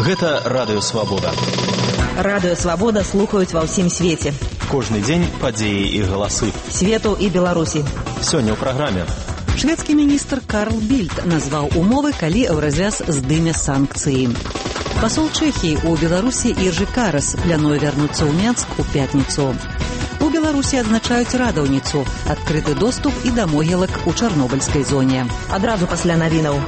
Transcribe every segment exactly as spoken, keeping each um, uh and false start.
Гэта Радыё Свабода. Радыё Свабода слухаюць ва ўсім свеце. Кожны дзень падзеі і галасы. Свету і Беларусі. Сёння ў праграме. Шведскі міністр Карл Більд назваў умовы, калі Еўразвяз здыме санкцыі. Пасол Чэхіі ў Беларусі Іржы Карас плануе вярнуцца ў Менск у пятніцу. У Беларусі адзначаюць радаўніцу, адкрыты доступ і да могілак у чарнобыльскай зоне. Адразу пасля навінаў.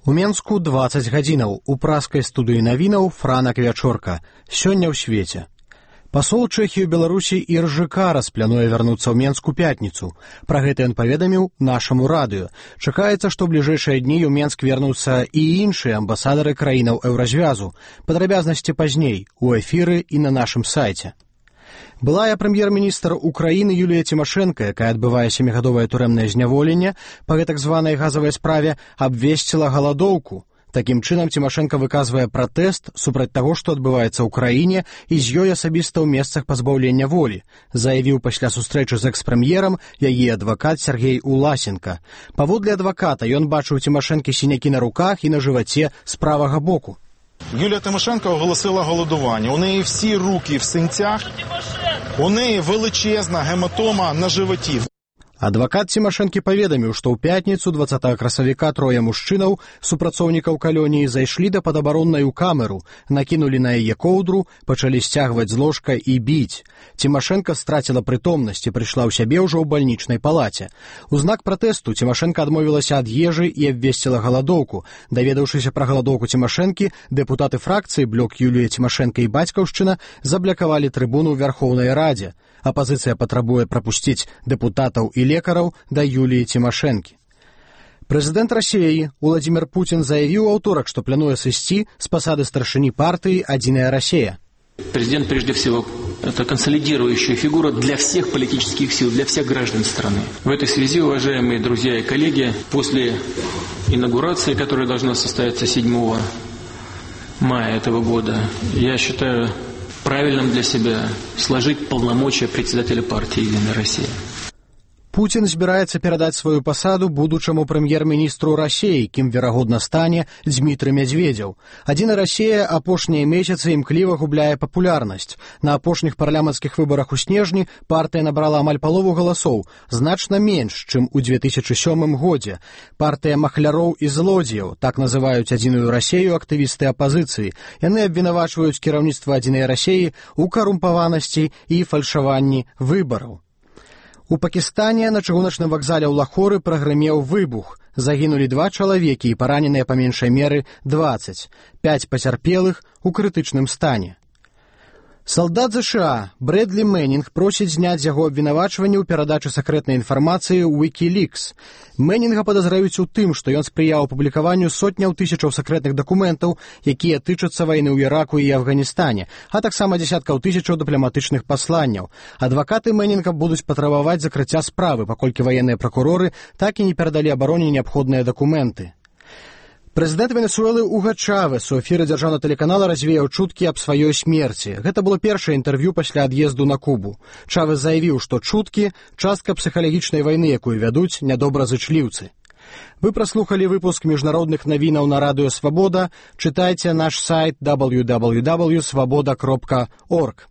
У Менску дваццаць гадзінаў. У праскай студыі навінаў Франак Вячорка. Сёння ў свеце. Пасол Чэхіі ў Беларусі Іржы Карас плануе вярнуцца ў Менск у пятніцу. Пра гэта ён паведаміў нашаму радыё. Чакаецца, што ў бліжэйшыя дні ў Менск вернуцца і іншыя амбасадары краінаў Еўразвязу. Падрабязнасці пазней у эфіры і на нашым сайце. Былая прэм'ер-міністр Украіны Юлія Цімашэнка, якая адбывае сямігадовае турэмнае зняволенне па гэтак званай газавай справе, абвесціла галадоўку. Такім чынам Цімашэнка выказвае пратэст супраць таго, што адбываецца ў краіне і з ёй асабіста ў месцах пазбаўлення волі, заявіў пасля сустрэчы з экс-прэм'ерам яе адвакат Сергей Уласенко. Паводле адваката ён бачыў Цімашэнкі сінякі на руках і на жываце з правага боку. Юлія Тимошенко оголосила голодування. У неї всі руки в синцях, у неї величезна гематома на животі. Адвакат Цімашэнкі паведаміў, што ў пятніцу дваццатага красавіка трое мужчынаў, супрацоўнікаў калоніі, зайшлі да падабароннай камеру, накінулі на яе коўдру, пачалі сцягваць з ложка і біць. Цімашэнка страціла прытомнасць і прыйшла ў сябе ўжо ў бальнічнай палаце. У знак пратэсту Цімашэнка адмовілася ад ежы і абвесціла галадоўку. Даведаўшыся пра галадоўку Цімашэнкі, дэпутаты фракцыі блок Юлія Цімашэнка і Бацькаўшчына заблакавалі трыбуну ў Вярхоўнай Радзе. Апазіцыя патрабуе прапусціць дэпутатаў і лекараў да Юліі Цімашэнкі. Прэзідэнт Расіі Уладзімір Пуцін заявіў у аўторак, што плануе сысці з пасады старшыні партыі «Адзіная Россия». Президент, прежде всего, это консолидирующая фигура для всех политических сил, для всех граждан страны. В этой связи, уважаемые друзья и коллеги, после инаугурации, которая должна состояться седьмого мая этого года, я считаю правильным для себя сложить полномочия председателя партии «Единая Россия». Пуцін збіраецца перадаць сваю пасаду будучаму прэм'ер-міністру Расіі, кім, верагодна, стане Дзмітрый Мядзведзеў. «Адзіная Россия» апошнія месяцы імкліва губляе папулярнасць. На апошніх парламенцкіх выбарах у снежні партыя набрала амаль палову галасоў, значна менш, чым у две тысячы сёмым годзе. Партыя махляроў і злодзеяў, так называюць «Адзіную Россию» актывісты апазіцыі. Яны абвінавачваюць кіраўніцтва «Адзінай России» у карумпаванасці і фальшаванні выбараў. У Пакістане на чыгуначным вакзале ў Лахоры прагрымеў выбух. Загінулі два чалавекі і параненыя па меншай меры дваццаць. Пяць пацярпелых у крытычным стане. Салдат ЗША Брэдлі Мэнінг просіць зняць з яго абвінавачванні ў перадачы сакрэтнай інфармацыі ў Wikileaks. Мэнінга падазраюць у тым, што ён спрыяў публікаванню сотняў тысячаў сакрэтных дакументаў, якія тычацца вайны ў Іраку і Афганістане, а таксама дзясяткаў тысячаў дыпламатычных пасланняў. Адвакаты Мэнінга будуць патрабаваць закрыцця справы, паколькі ваенныя пракуроры так і не перадалі абароне неабходныя дакументы. Прэзідэнт Венесуэлы Уга Чавес у эфіры дзяржаўнага тэлеканала развеяў чуткі аб сваёй смерці. Гэта было першае інтэрв'ю пасля ад'езду на Кубу. Чавес заявіў, што чуткі – частка псіхалагічнай вайны, якую вядуць нядобразычліўцы. Вы праслухалі выпуск міжнародных навінаў на Радыё Свабода. Чытайце наш сайт дабл ю дабл ю дабл ю крапка свабода крапка орг.